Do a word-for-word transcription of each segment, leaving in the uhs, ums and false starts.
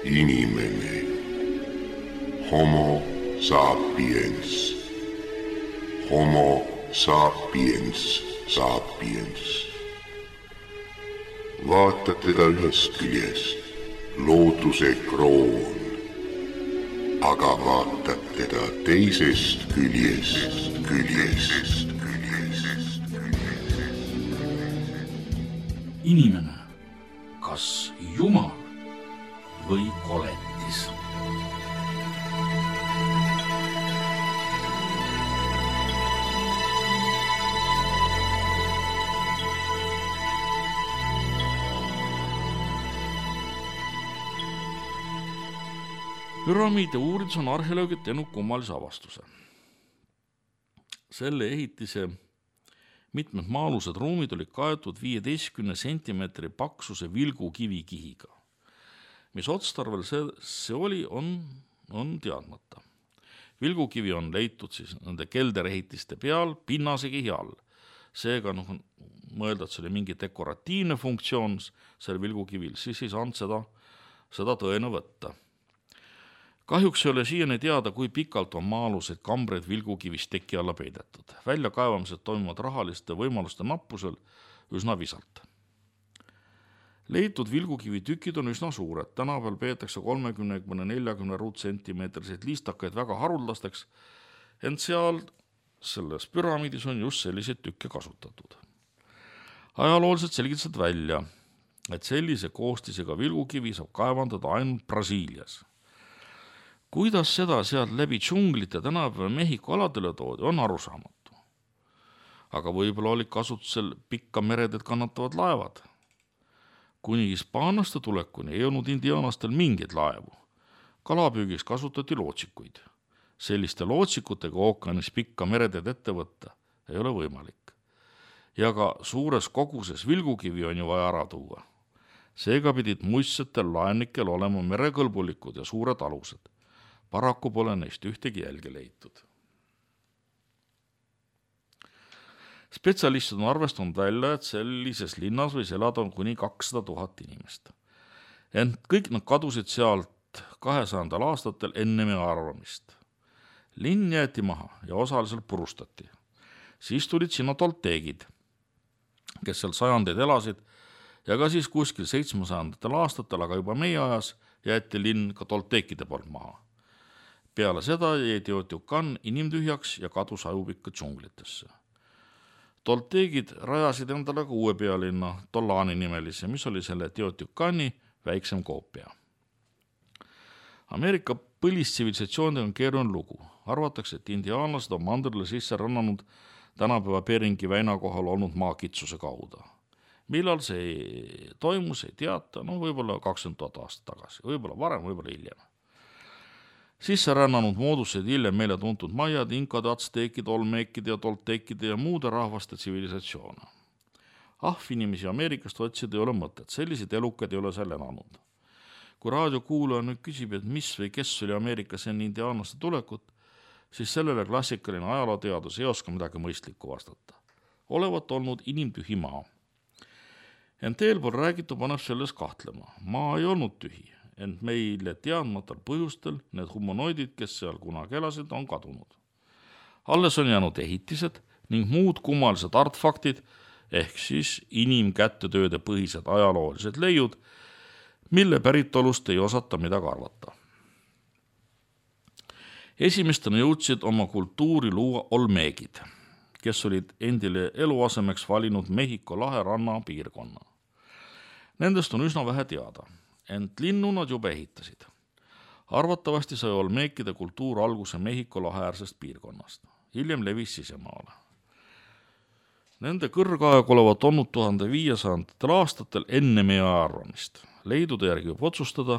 Inimene. Homo sapiens. Homo sapiens sapiens. Vaatad teda ühest küljest, looduse kroon, aga vaatad teda teisest küljest, küljest, küljest. Inimene, kas Jumal või koletis? Püramiide uuridus on arheoloogid teinud kummalise avastuse. Selle ehitise mitmed maa-alused ruumid olid kaetud viieteistkümne sentimeetri paksuse vilgukivikihiga. Mis otstarvel see, see oli, on, on teadmata. Vilgukivi on leitud siis nende kelderehitiste peal pinnase kihi all. Seega noh, mõelda, et see oli mingi dekoratiivne funktsioon seal vilgukivil, siis ei saanud seda, seda tõena võtta. Kahjuks ei ole siiani teada, kui pikalt on maa-alused kambreid vilgukivist teki alla peidetud. Väljakaevamised toimuvad rahaliste võimaluste nappusel üsna visalt. Leitud vilgukivi tükid on üsna suured. Tänapäeval peetakse kolmekümne kuni neljakümne ruutsentimeetriseid liistakaid väga haruldasteks, ent seal selles püramiidis on just selliseid tükke kasutatud. Ajalooliselt selgitasid välja, et sellise koostisega vilgukivi saab kaevandada ainult Brasiilias. Kuidas seda sealt läbi džunglite tänapäeva Mehhiko aladele toodi, on arusaamatu. Aga võib-olla olid kasutusel pikka meredet kannatavad laevad. Kuni hispaanlaste tulekuni ei olnud indiaanastel mingeid laevu. Kalapüügiks kasutati lootsikuid. Selliste lootsikutega ookeanis pikka meredet ette võtta ei ole võimalik. Ja ka suures koguses vilgukivi on ju vaja ära tuua. Seega pidid muistsetel laennikel olema merekõlbulikud ja suured alused. Paraku pole neist ühtegi jälge leitud. Spetsialistid on arvestanud välja, et sellises linnas võis elada kuni kakssada tuhat inimest. Ent kõik nad kadusid sealt kahesajandal aastatel enne meie arvamist. Linn jäeti maha ja osaliselt purustati. Siis tulid sinna tolteegid, kes seal sajandeid elasid, ja ka siis kuskil seitsmesajandatel aastatel, aga juba meie ajas jäeti linn ka tolteekide poolt maha. Peale seda jäi Teotihuacan inimtühjaks ja kadus ajupikka džunglitesse. Tolteegid rajasid endale ka uue pealinna, Tolani nimelise, mis oli selle Teotihuacani väiksem koopia. Ameerika põlistsivilisatsioonidega on keeruline lugu. Arvatakse, et indiaanlased on mandrile sisse rannanud tänapäeva Beringi väina kohal olnud maakitsuse kaudu. Millal see toimus, ei teata, no võib-olla kakskümmend tuhat aastat tagasi, võib-olla varem, võib-olla hiljem. Sisse rännanud moodused hiljem meile tuntud maiad, inkade, atsteekide, olmeekide ja tolteekide ja muude rahvaste tsivilisatsioone. Ahvinimesi Ameerikast otsida ei ole mõtet, sellised elukad ei ole seal elanud. Kui raadiokuulaja nüüd küsib, et mis või kes oli Ameerikas enne indiaanlaste tulekut, siis sellele klassikaline ajalooteadus ei oska midagi mõistlikku vastata. Olevat olnud inimtühi maa. Ent eelpool räägitu paneb selles kahtlema. Maa ei olnud tühi. Ent meile teadmatal põhjustel need humanoidid, kes seal kunagi elasid, on kadunud. Alles on jäänud ehitised ning muud kummalised artefaktid, ehk siis inimkättetööde põhised ajaloolised leiud, mille päritolust ei osata midagi arvata. Esimestena jõudsid oma kultuuri luua olmeegid, kes olid endile eluasemeks valinud Mehhiko lahe ranna piirkonna. Nendest on üsna vähe teada. Ent linnu nad juba ehitasid. Arvatavasti sai olmeekide kultuur alguse Mehhiko laheäärsest piirkonnast. Hiljem levis sisemaale. Nende kõrgaeg olevat olnud tuhande viiesajandatel aastatel enne meie arvamist. Leidude järgi võib otsustada,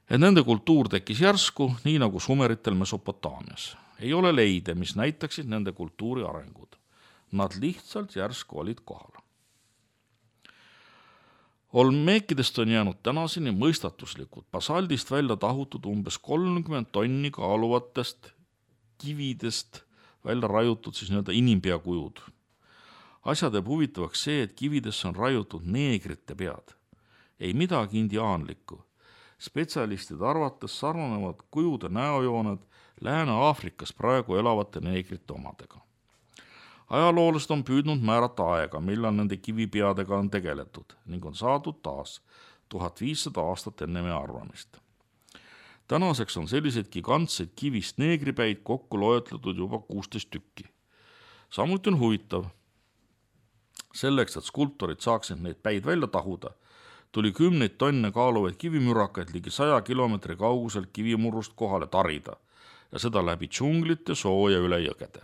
et nende kultuur tekkis järsku, nii nagu sumeritel Mesopotaamias. Ei ole leide, mis näitaksid nende kultuuri arengud. Nad lihtsalt järsku olid kohal. Olmeekidest on jäänud tänaseni mõistatuslikud basaldist välja tahutud umbes kolmkümmend tonni kaaluvatest kividest välja raiutud siis nii-öelda inimpeakujud. Asja teeb huvitavaks see, et kividesse on raiutud neegrite pead. Ei midagi indiaanlikku. Spetsialistide arvates sarnanevad kujude näojooned Lääne-Aafrikas praegu elavate neegrite omadega. Ajaloolased on püüdnud määrata aega, millal nende kivipeadega on tegeletud ning on saadud taas tuhat viissada aastat enne meie arvamist. Tänaseks on selliseid gigantseid kivist neegripäid kokku loetletud juba kuusteist tükki. Samuti on huvitav, selleks, et skulptorid saaksid neid päid välja tahuda, tuli kümneid tonne kaaluvaid kivimürakaid ligi saja kilomeetri kauguselt kivimurrust kohale tarida ja seda läbi džunglite sooja üle jõgede.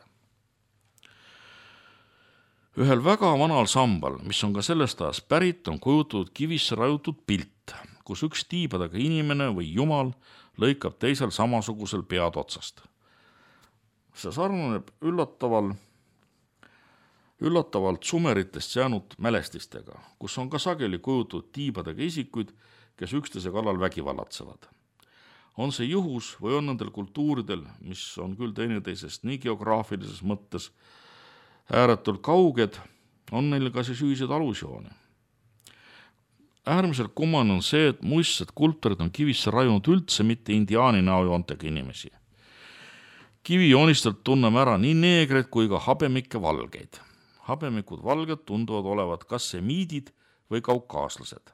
Ühel väga vanal sambal, mis on ka sellest ajast pärit, on kujutatud kivisse rajutud pilt, kus üks tiibadega inimene või jumal lõikab teisel samasugusel pead otsast. See sarnaneb üllataval üllatavalt sumeritest jäänud mälestistega, kus on ka sageli kujutatud tiibadega isikuid, kes üksteise kallal vägivallatsevad. On see juhus või on nendel kultuuridel, mis on küll teineteisest nii geograafilises mõttes ääretult kauged, on neil ka siis ühiseid alusjooni. Äärmiselt kummane on see, et muistsed kultuurid on kivisse rajunud üldse mitte indiaani näojoontega inimesi. Kivijoonistelt tunneme ära nii neegreid kui ka habemikke valgeid. Habemikud valged tunduvad olevat kas semiidid või kaukaaslased.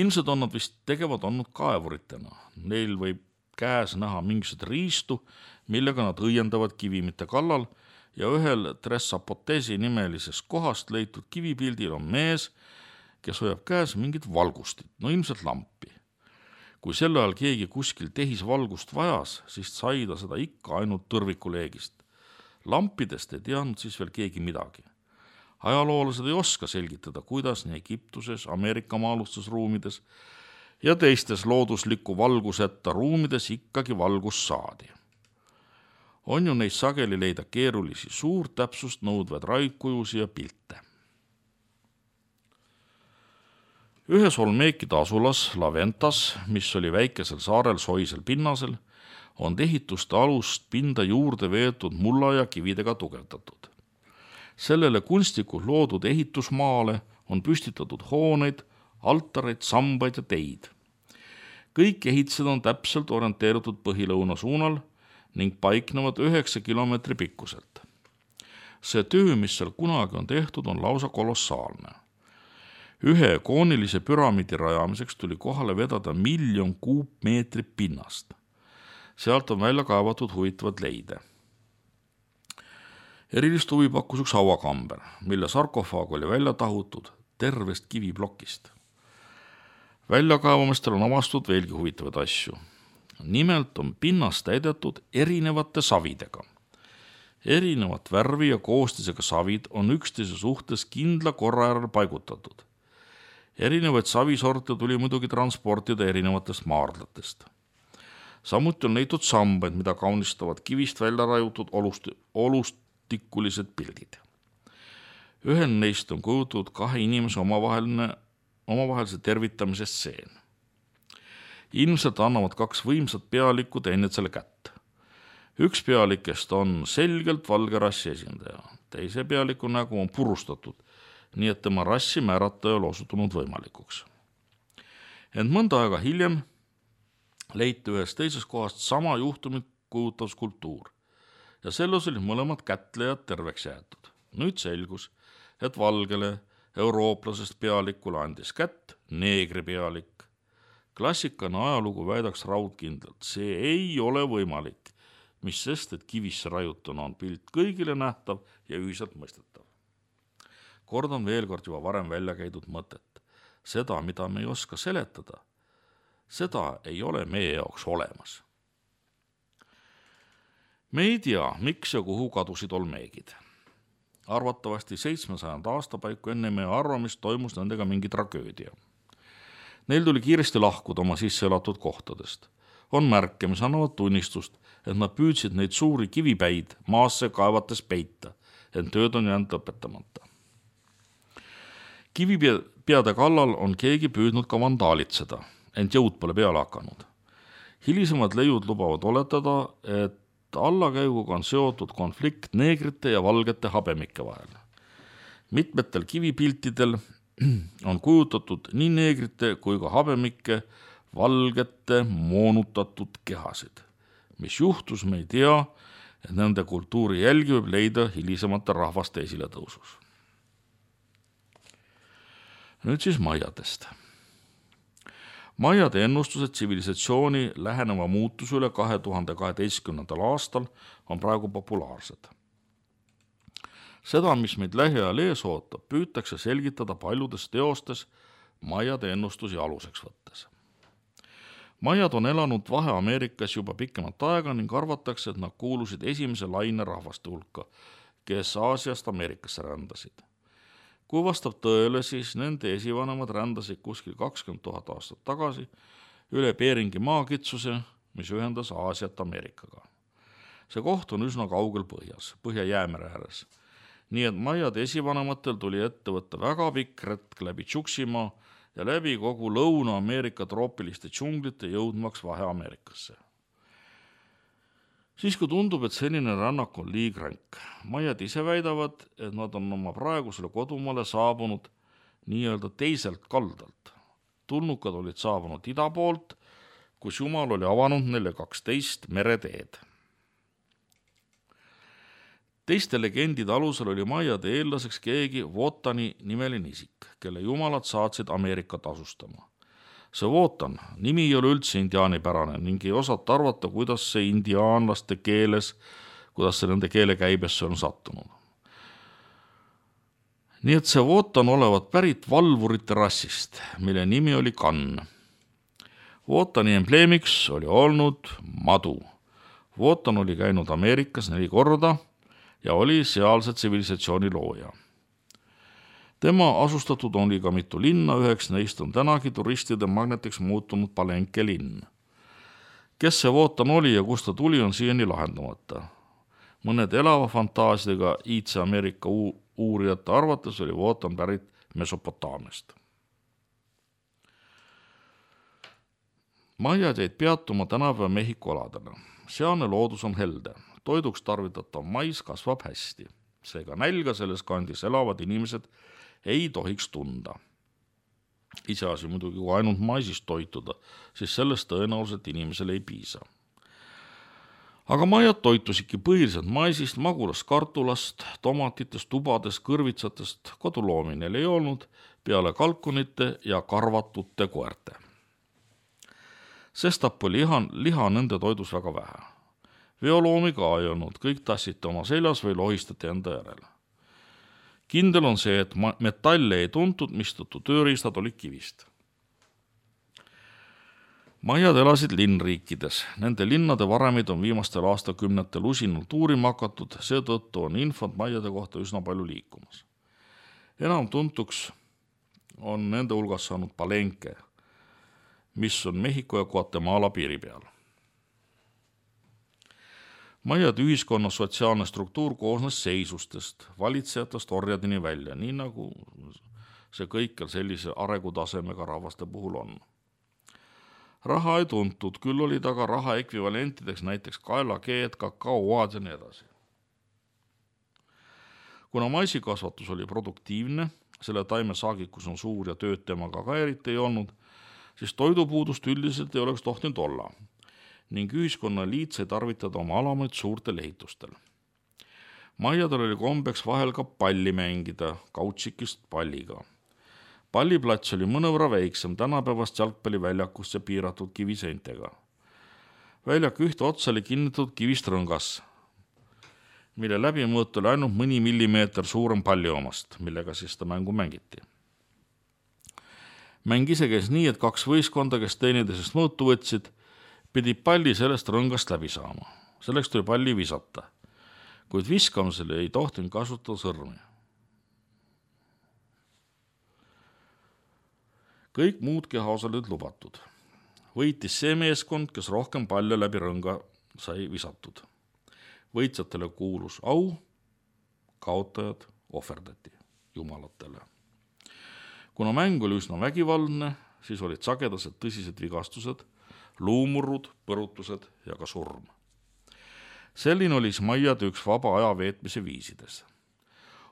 Ilmselt on nad vist tegevad olnud kaevuritena. Neil võib käes näha mingisugused riistu, millega nad õiendavad kivimite kallal ja ühel Tressapotesi nimelisest kohast leitud kivipildil on mees, kes hoiab käes mingit valgustit, no ilmselt lampi. Kui sel ajal keegi kuskil tehis valgust vajas, siis sai ta seda ikka ainult tõrvikuleegist. Lampidest ei teadnud siis veel keegi midagi. Ajaloolased ei oska selgitada, kuidas nii Egiptuses, Ameerika maalustusruumides ja teistes loodusliku valguseta ruumides ikkagi valgus saadi. On ju neis sageli leida keerulisi suurt täpsust nõudvaid raidkujusi ja pilte. Ühes Olmeekide asulas Laventas, mis oli väikesel saarel soisel pinnasel, on ehituste alust pinda juurde veetud mulla ja kividega tugevdatud. Sellele kunstlikult loodud ehitusmaale on püstitatud hooneid, altareid, sambaid ja teid. Kõik ehitised on täpselt orienteeritud põhilõuna suunal ning paiknevad üheksa kilomeetri pikkuselt. See töö, mis seal kunagi on tehtud, on lausa kolossaalne. Ühe koonilise püramiidi rajamiseks tuli kohale vedada miljon kuupmeetrit pinnast. Sealt on välja kaevatud huvitavad leide. Erilist huvi pakkus üks hauakamber, mille sarkofaag oli välja tahutud tervest kiviplokist. Väljakaevamistel on avastud veelgi huvitavaid asju. Nimelt on pinnast täidetud erinevate savidega. Erinevat värvi ja koostisega savid on üksteise suhtes kindla korra järel paigutatud. Erinevaid savisorte tuli muidugi transportida erinevatest maardlatest. Samuti on leitud sambaid, mida kaunistavad kivist välja rajutud olust, olustikulised pildid. Ühel neist on kujutatud kahe inimese omavaheline, omavahelise tervitamise stseen. Ilmselt annavad kaks võimsat pealikku teineteisele kätt. Üks pealikest on selgelt valge rassi esindaja, teise pealiku nägu on purustatud, nii et tema rassi määrata ei ole osutunud võimalikuks. Ent mõnda aega hiljem leiti ühes teises kohast sama juhtumit kujutav skulptuur ja selles olid mõlemad kätlejad terveks jäetud. Nüüd selgus, et valgele eurooplasest pealikule andis kätt neegri pealik. Klassikana ajalugu väidaks raudkindlalt, see ei ole võimalik, mis sest, et kivisse rajutuna on pilt kõigile nähtav ja ühiselt mõistetav. Kordan veel kord juba varem välja käidud mõtet. Seda, mida me ei oska seletada, seda ei ole meie jaoks olemas. Me ei tea, miks ja kuhu kadusid olmeegid. Arvatavasti seitsmesajanda aastapaiku enne meie arvamist toimus nendega mingi tragöödia. Neil tuli kiiresti lahkuda oma sisse elatud kohtadest. On märke, mis annavad tunnistust, et nad püüdsid neid suuri kivipäid maasse kaevates peita, ent tööd on jäänud lõpetamata. Kivipeade kallal on keegi püüdnud ka vandaalitseda, ent jõud pole peale hakanud. Hilisemad leiud lubavad oletada, et allakäiguga on seotud konflikt neegrite ja valgete habemike vahel. Mitmetel kivipiltidel, on kujutatud nii neegrite kui ka habemike valgete moonutatud kehasid. Mis juhtus, me ei tea, et nende kultuuri jälgi võib leida hilisemate rahvaste esiletõusus. Nüüd siis maiadest. Maiade ennustused tsivilisatsiooni läheneva muutuse üle kahe tuhande kaheteistkümnendal aastal on praegu populaarsed. Seda, mis meid lähiajal ees ootab, püütakse selgitada paljudes teostes maiade ennustusi aluseks võttes. Maiad on elanud Vahe-Ameerikas juba pikemat aega ning arvatakse, et nad kuulusid esimese laine rahvaste hulka, kes Aasiast Ameerikasse rändasid. Kui vastab tõele, siis nende esivanemad rändasid kuskil kakskümmend tuhat aastat tagasi üle Beringi maakitsuse, mis ühendas Aasiat Ameerikaga. See koht on üsna kaugel põhjas, Põhja-Jäämere ääres. Nii et maiade esivanematel tuli ette võtta väga pikk retk läbi Tšuksimaa ja läbi kogu Lõuna-Ameerika troopiliste džunglite jõudmaks Vahe-Ameerikasse. Siis kui tundub, et selline rännak on liigränk, maiad ise väidavad, et nad on oma praegusele kodumaale saabunud nii-öelda teiselt kaldalt. Tulnukad olid saabunud ida poolt, kus Jumal oli avanud neile kaksteist mereteed. Teiste legendide alusel oli maiade eellaseks keegi Wotani nimeline isik, kelle jumalad saatsid Ameerikat asustama. See Wotan nimi ei ole üldse indiaanipärane ning ei osata arvata, kuidas see indiaanlaste keeles, kuidas see nende keele käibesse on sattunud. Nii et see Wotan olevat pärit valvurite rassist, mille nimi oli Kann. Wotani embleemiks oli olnud madu. Wotan oli käinud Ameerikas neli korda ja oli sealse tsivilisatsiooni looja. Tema asustatud oli ka mitu linna, üheks neist on tänagi turistide magnetiks muutunud Palenque linn. Kes see Wotan oli ja kust ta tuli, on siiani lahendamata. Mõned elava fantaasidega iidse Ameerika uurijate arvates oli Wotan pärit Mesopotaamiast. Maiad jäid peatuma tänapäeva Mehhiko aladele. Sealne loodus on helde. Toiduks tarvitatav mais kasvab hästi. Seega nälga selles kandis elavad inimesed ei tohiks tunda. Iseasi muidugi, kui ainult maisist toituda, siis sellest tõenäoliselt inimesele ei piisa. Aga maiad toitusidki põhiliselt maisist, magulast kartulast, tomatitest, tubadest, kõrvitsatest, koduloomi neil ei olnud, peale kalkunite ja karvatute koerte. Sestap oli liha, liha nende toidus väga vähe. Veoloomi ka ei olnud, kõik tassite oma seljas või lohistati enda järele. Kindel on see, et metalle ei tuntud, mistõttu tööriistad olid kivist. Maiad elasid linnriikides. Nende linnade varemid on viimastel aastakümnetel usinult uurima hakatud, seetõttu on infot maiade kohta üsna palju liikumas. Enam tuntuks on nende hulgas saanud Palenque, mis on Mehhiko ja Guatemala piiri peal. Maiade ühiskonna sotsiaalne struktuur koosnes seisustest, valitsejatest orjadini välja, nii nagu see kõikjal sellise arengutasemega rahvaste puhul on. Raha ei tuntud, küll olid aga raha ekvivalentideks näiteks kaelakeed, kakaoad ja nii edasi. Kuna maisikasvatus oli produktiivne, selle taimesaagikus on suur ja tööd temaga ka eriti ei olnud, siis toidupuudust üldiselt ei oleks tohtinud olla ning ühiskonna liit sai tarvitada oma alamaid suurtel ehitustel. Maiadel oli kombeks vahel ka palli mängida, kautsikist palliga. Palliplats oli mõnevõrra väiksem tänapäevast jalgpalliväljakust ja piiratud kiviseintega. Väljak ühte otsa oli kinnitatud kivist rõngas, mille läbimõõt oli ainult mõni millimeeter suurem palli omast, millega siis ta mängu mängiti. Mäng ise käis nii, et kaks võistkonda, kes teineteisest mõõtu võtsid, pidi palli sellest rõngast läbi saama. Selleks tuli palli visata, kuid viskamisele ei tohtinud kasutada sõrmi. Kõik muud kehaosad olid lubatud. Võitis see meeskond, kes rohkem palle läbi rõnga sai visatud. Võitjatele kuulus au, kaotajad ohverdati jumalatele. Kuna mäng oli üsna vägivaldne, siis olid sagedased tõsised vigastused, luumurrud, põrutused ja ka surm. Selline oli maiade üks vaba aja veetmise viisides.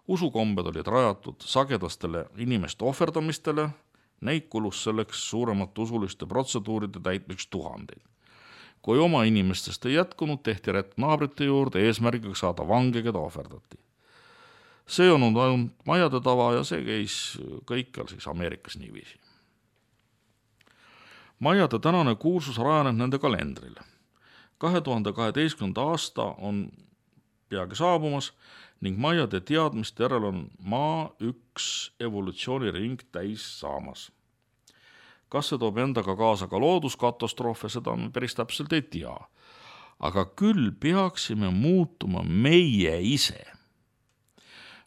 usukombed olid rajatud sagedastele inimeste ohverdamistele, neid kulus selleks suuremate usuliste protseduuride täitmiseks tuhandeid. Kui oma inimestest ei jätkunud, tehti rätt naabrite juurde eesmärgiga saada vange, keda ohverdati. See on ainult majade tava ja see käis kõikjal siis Ameerikas niiviisi. Majade tänane kuulsus rajaneb nende kalendrile. kahe tuhande kaheteistkümnenda aasta on peagi saabumas ning majade teadmiste järel on maa üks evolutsiooniring täis saamas. Kas see toob endaga kaasa ka looduskatastroofe, seda me päris täpselt ei tea. Aga küll peaksime muutuma meie ise.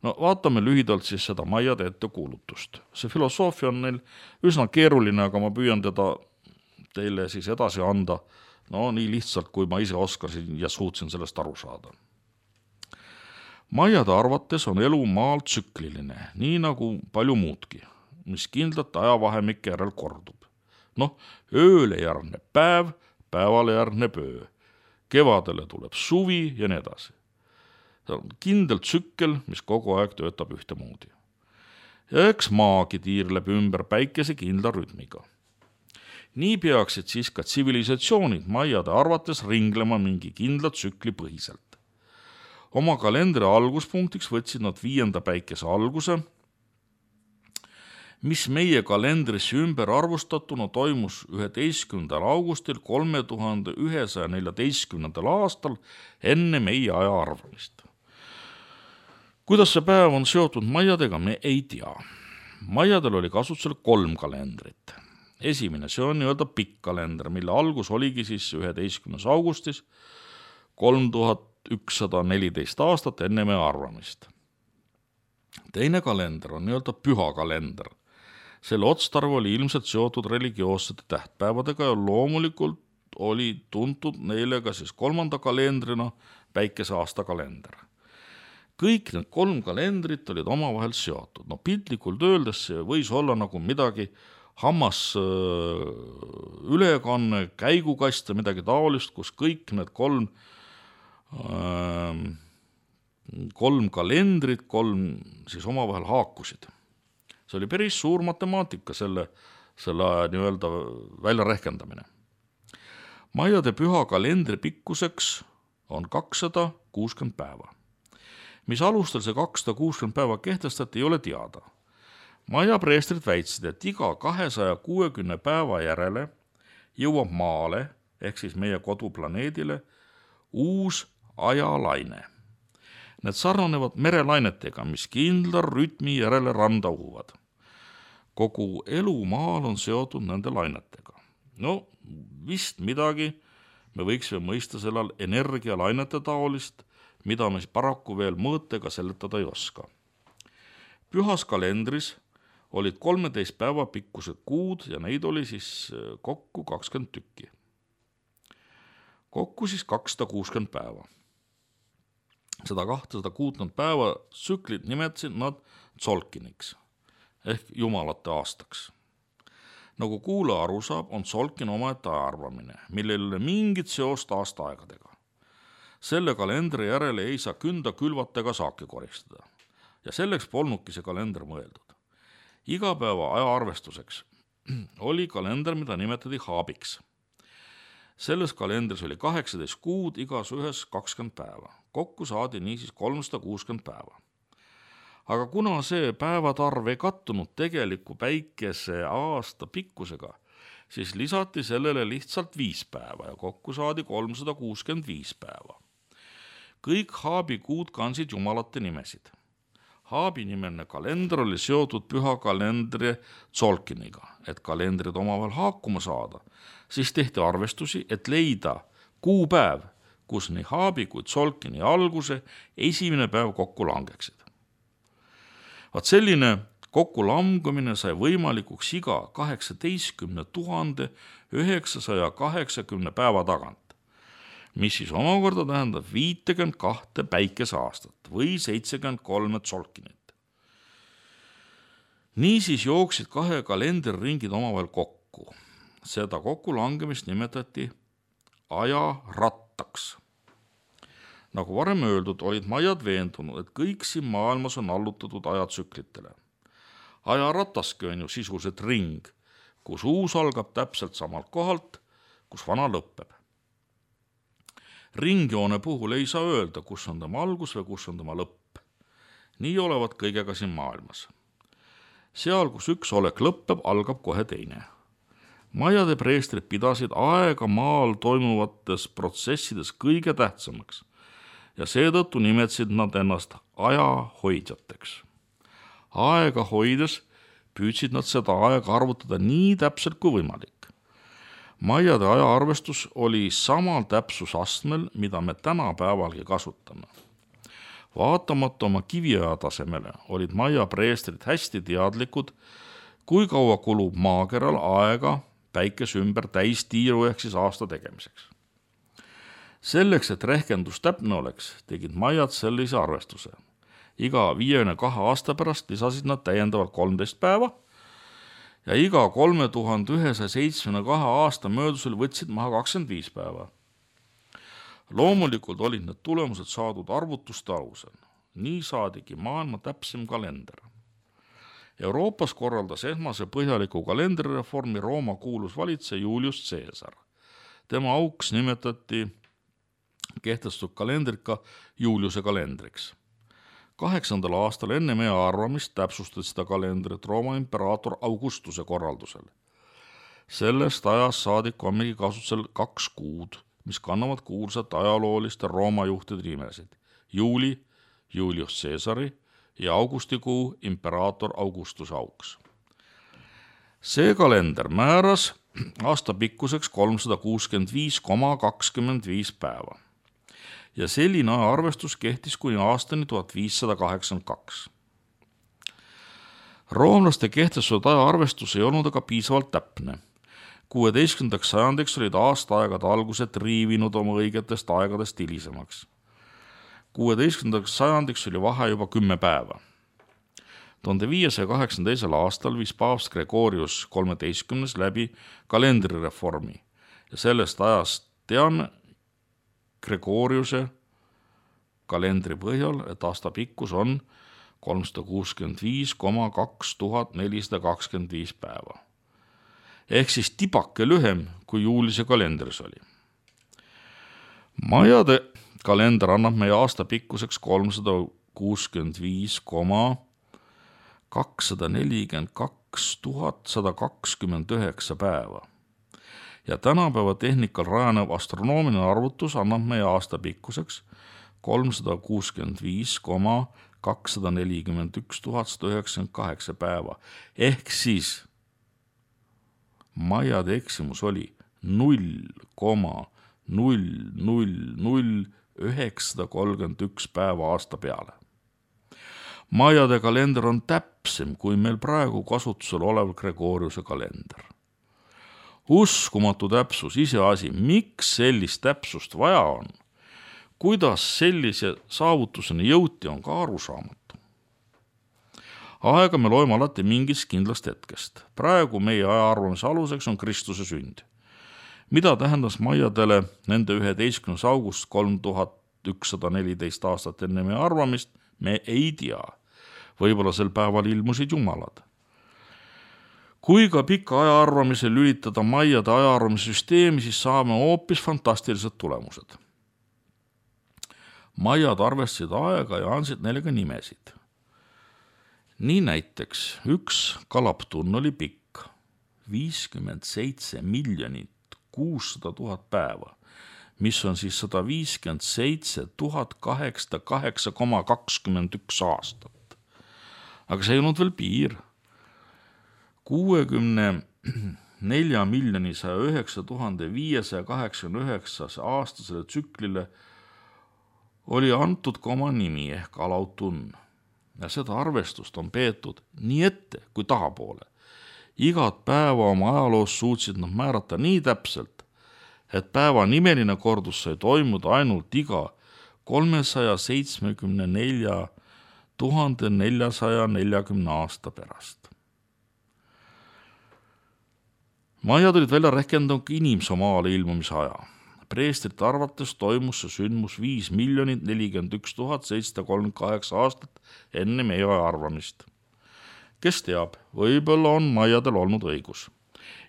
No vaatame lühidalt siis seda majade ettekuulutust. See filosoofia on neil üsna keeruline, aga ma püüan teda teile siis edasi anda, no nii lihtsalt, kui ma ise oskasin ja suutsin sellest aru saada. Majade arvates on elu maal tsükliline, nii nagu palju muudki, mis kindlalt ajavahemike järel kordub. Noh, ööle järgneb päev, päevale järgneb öö, kevadele tuleb suvi ja nii edasi. See on kindel tsükkel, mis kogu aeg töötab ühtemoodi. Ja eks maagi tiirleb ümber päikese kindla rütmiga. Nii peaksid siis ka tsivilisatsioonid majade arvates ringlema mingi kindla tsükli põhiselt. Oma kalendri alguspunktiks võtsid nad viienda päikese alguse, mis meie kalendrisse ümber arvustatuna toimus üheteistkümnendal augustil kolme tuhande ühesaja neljateistkümnendal aastal enne meie aja arvamist. Kuidas see päev on seotud majadega, me ei tea. Majadel oli kasutusel kolm kalendrit. Esimene, see on nii-öelda pikk kalender, mille algus oligi siis üheteistkümnes augustis kolm tuhat ükssada neliteist aastat enne meie arvamist. Teine kalender on nii-öelda püha kalender. Selle otstarv oli ilmselt seotud religioossete tähtpäevadega ja loomulikult oli tuntud neile ka siis kolmanda kalendrina päikese aasta kalender. Kõik need kolm kalendrit olid omavahel seotud. No piltlikult öeldes see võis olla nagu midagi hammas ülekanne, käigukast ja midagi taolist, kus kõik need kolm kolm kalendrit, kolm siis omavahel haakusid. See oli päris suur matemaatika selle, selle nii-öelda välja rehkendamine. Majade püha kalendri pikkuseks on kakssada kuuskümmend päeva. Mis alustel see kakssada kuuskümmend päeva kehtestati, ei ole teada. Maja preestrid väitsid, et iga kahesaja kuuekümne päeva järele jõuab maale, ehk siis meie koduplaneedile, uus ajalaine. Need sarnanevad merelainetega, mis kindla rütmi järele randa uhuvad. Kogu elu maal on seotud nende lainetega. No, vist midagi me võiksime mõista sellel energialainete taolist, mida me paraku veel mõõtega seletada ei oska. Pühas kalendris olid kolmeteist päeva pikkused kuud ja neid oli siis kokku kakskümmend tükki. Kokku siis kakssada kuuskümmend päeva. Seda kahtesada kuuskümmend päeva tsüklit nimetasid nad Tzolkiniks ehk jumalate aastaks. Nagu kuulaja aru saab, on Tzolkin omaette ajaarvamine, millel ei ole mingit seost aastaaegadega. Selle kalendri järele ei saa künda külvata ega saaki koristada. Ja selleks polnudki see kalender mõeldud. Iga päeva ajaarvestuseks oli kalender, mida nimetati haabiks. Selles kalendris oli kaheksateist kuud, igas ühes kakskümmend päeva. Kokku saadi niisiis kolmsada kuuskümmend päeva. Aga kuna see päevatarv ei kattunud tegeliku päikese aasta pikkusega, siis lisati sellele lihtsalt viis päeva ja kokku saadi kolmsada kuuskümmend viis päeva. Kõik haabi kuud kansid jumalate nimesid. Haabi nimeline kalender oli seotud püha kalendri Tzolkiniga, et kalendrid omavahel haakuma saada. Siis tehti arvestusi, et leida kuupäev, kus nii haabi kui Tzolkini alguse esimene päev kokku langeksid. Vaat selline kokkulangumine sai võimalikuks iga kaheksateistkümne tuhande üheksasaja kaheksakümne päeva tagant, mis siis omakorda tähendab viitekümmet kahte päikeseaastat või seitsekümmend kolme Tzolkinit. Niisiis jooksid kahe kalendriringid omavahel kokku. Seda kokkulangemist nimetati ajarattaks. Nagu varem öeldud, olid maiad veendunud, et kõik siin maailmas on allutatud ajatsüklitele. Ajarataski on ju sisuliselt ring, kus uus algab täpselt samalt kohalt, kus vana lõpeb. Ringjoone puhul ei saa öelda, kus on tema algus või kus on tema lõpp. Nii olevat kõigega siin maailmas. Seal, kus üks olek lõpeb, algab kohe teine. Maiade preestrid pidasid aega maal toimuvates protsessides kõige tähtsamaks ja seetõttu nimetasid nad ennast ajahoidjateks. Aega hoides püüdsid nad seda aega arvutada nii täpselt kui võimalik. Maiade ajaarvestus oli samal täpsusastmel, mida me tänapäevalgi kasutame. Vaatamata oma kiviaja tasemele olid maia preestrid hästi teadlikud, kui kaua kulub maakeral aega päikese ümber täistiiru ehk siis aasta tegemiseks. Selleks, et rehkendus täpne oleks, tegid maiad sellise arvestuse. Iga viiekümne kahe aasta pärast lisasid nad täiendavalt kolmteist päeva ja iga kolme tuhande ühesaja seitsmekümne kahe aasta möödusel võtsid maha kakskümmend viis päeva. Loomulikult olid need tulemused saadud arvutuste alusel. Nii saadigi maailma täpsem kalender. Euroopas korraldas esmase põhjaliku kalendrireformi Rooma kuulus valitseja Julius Caesar. Tema auks nimetati kehtestatud kalendrit ka Juliuse kalendriks. Kaheksandal aastal enne meie arvamist täpsustati seda kalendrit Rooma imperaator Augustuse korraldusel. Sellest ajast saadik ongi kasutusel kaks kuud, mis kannavad kuulsat ajalooliste Rooma juhtide nimesid. Juuli, Julius Caesari ja augustikuu imperaator Augustuse auks. See kalender määras aasta pikkuseks kolmsada kuuskümmend viis koma kakskümmend viis päeva. Ja selline ajaarvestus kehtis kuni aastani tuhat viissada kaheksakümmend kaks. Roomlaste kehtestatud ajaarvestus ei olnud aga piisavalt täpne. kuueteistkümnendaks sajandiks olid aastaaegade algused riivinud oma õigetest aegadest hilisemaks. kuueteistkümnendaks sajandiks oli vahe juba kümme päeva. tuhande viiesaja kaheksakümne teisel aastal viis paavst Gregorius kolmeteistkümnes läbi kalendrireformi ja sellest ajast teame Gregoriuse kalendri põhjal, et aasta pikkus on kolmsada kuuskümmend viis koma kaks tuhat nelisada kakskümmend viis päeva. Ehk siis tibake lühem, kui Juulise kalendris oli. Maiade kalender annab meie aasta pikkuseks kolmsada kuuskümmend viis koma kakssada nelikümmend kaks tuhat sada kakskümmend üheksa päeva. Ja tänapäeva tehnikal rajanev astronoomiline arvutus annab meie aasta pikkuseks kolmsada kuuskümmend viis koma kakssada nelikümmend üks tuhat sada üheksakümmend kaheksa päeva. Ehk siis maiade eksimus oli null koma null null null üheksasada kolmkümmend üks päeva aasta peale. Maiade kalender on täpsem kui meil praegu kasutusel olev Gregoriuse kalender. Uskumatu täpsus, iseasi, miks sellist täpsust vaja on, kuidas sellise saavutuseni jõuti, on ka arusaamatu. Aega me loeme alati mingist kindlast hetkest. Praegu meie ajaarvamise aluseks on Kristuse sünd. Mida tähendas maiadele nende üheteistkümnes august kolm tuhat ükssada neliteist aastat enne meie arvamist, me ei tea. Võib-olla sel päeval ilmusid jumalad. Kui ka pika ajaarvamise lülitada maiade ajaarvamise süsteemi, siis saame hoopis fantastilised tulemused. Maiad arvestasid aega ja andsid neile ka nimesid. Nii näiteks üks kalaptunn oli pikk viiskümmend seitse miljonit kuussada tuhat päeva, mis on siis sada viiskümmend seitse tuhat kaheksasada kaheksa koma kakskümmend üks aastat. Aga see ei olnud veel piir. kuuekümne nelja miljoni saja üheksa tuhande viiesaja kaheksakümne üheksas aastasele tsüklile oli antud ka oma nimi ehk alautunn. Ja seda arvestust on peetud nii ette kui tahapoole. Igat päeva oma ajaloos suutsid nad määrata nii täpselt, et päeva nimeline kordus sai toimuda ainult iga kolmesaja seitsmekümne nelja tuhande neljasaja neljakümne aasta pärast. Maiad olid välja rehkendanud inimsomaale ilmumise aja. preestrite arvates toimus see sündmus viis miljonit nelikümmend üks tuhat seitsesada kolmkümmend kaheksa aastat enne meie arvamist. Kes teab, võib-olla on maiadel olnud õigus.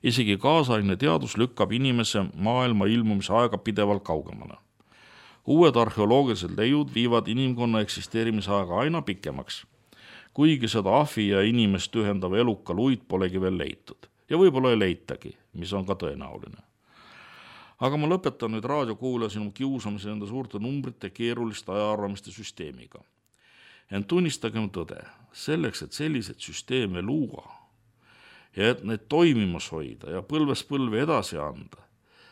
Isegi kaasaegne teadus lükkab inimese maailma ilmumise aega pidevalt kaugemale. Uued arheoloogilised leiud viivad inimkonna eksisteerimise aega aina pikemaks, kuigi seda ahvi ja inimest ühendava eluka luid polegi veel leitud. Ja võib-olla ei leitagi, mis on ka tõenäoline. Aga ma lõpetan nüüd raadiokuulaja sinu kiusamise enda suurte numbrite keeruliste ajaarvamiste süsteemiga. Ent tunnistagem tõde, selleks, et sellised süsteeme luua ja et need toimimas hoida ja põlves põlve edasi anda,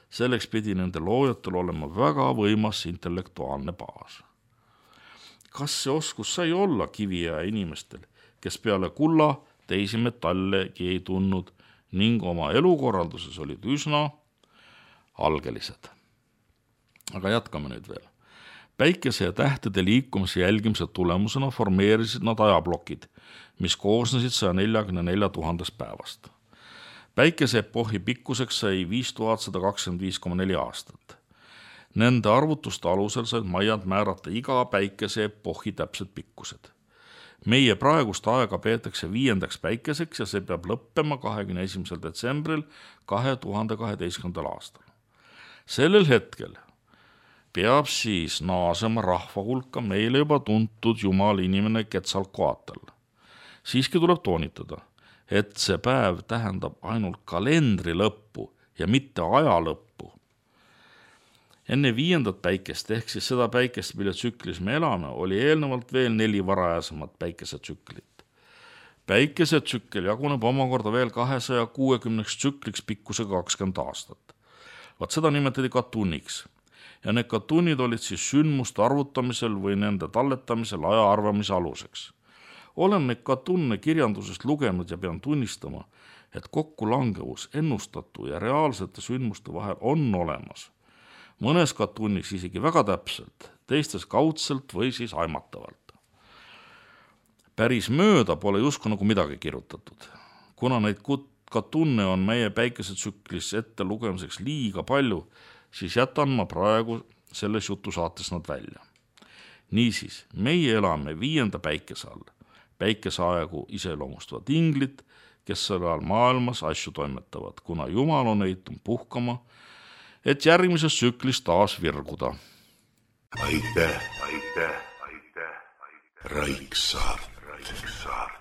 selleks pidi nende loojatel olema väga võimas intellektuaalne baas. Kas see oskus sai olla kiviaja inimestel, kes peale kulla teisi metallegi ei tundnud ning oma elukorralduses olid üsna algelised. Aga jätkame nüüd veel. Päikese ja tähtede liikumise jälgimise tulemusena formeerisid nad ajablokid, mis koosnesid saja neljakümne nelja tuhandest päevast. Päikese epohhi pikkuseks sai viis tuhat sada kakskümmend viis koma neli aastat. Nende arvutuste alusel said maiad määrata iga päikese epohhi täpsed pikkused. Meie praegust aega peetakse viiendaks päikeseks ja see peab lõppema kahekümne esimesel detsembril kahe tuhande kaheteistkümnendal aastal. Sellel hetkel peab siis naasema rahva hulka meile juba tuntud jumal inimene Quetzalcoatl. Siiski tuleb toonitada, et see päev tähendab ainult kalendri lõppu ja mitte aja lõppu. Enne viiendat päikest ehk siis seda päikest, mille tsüklis me elame, oli eelnevalt veel neli varajasemat päikesetsüklit. Päikesetsükkel jaguneb omakorda veel kahesaja kuuekümneks tsükliks pikkusega kakskümmend aastat. Vaat seda nimetati katunniks ja need katunnid olid siis sündmuste arvutamisel või nende talletamisel aja arvamise aluseks. Olen neid katunne kirjandusest lugenud ja pean tunnistama, et kokkulangevus ennustatu ja reaalsete sündmuste vahel on olemas. Mõnes katunniks isegi väga täpselt, teistes kaudselt või siis aimatavalt. Päris mööda pole justkui nagu midagi kirjutatud. Kuna neid katunne on meie päikesetsüklis ette lugemiseks liiga palju, siis jätan ma praegu selles jutusaates nad välja. Niisiis, meie elame viienda päikese all. Päikeseaegu iseloomustavad inglid, kes selle all maailmas asju toimetavad, kuna Jumal on eitun puhkama, et järgmises tsüklis taas virguda. Aitäh, aitäh, aitäh, aitäh. Raiksaart. Raiksaart.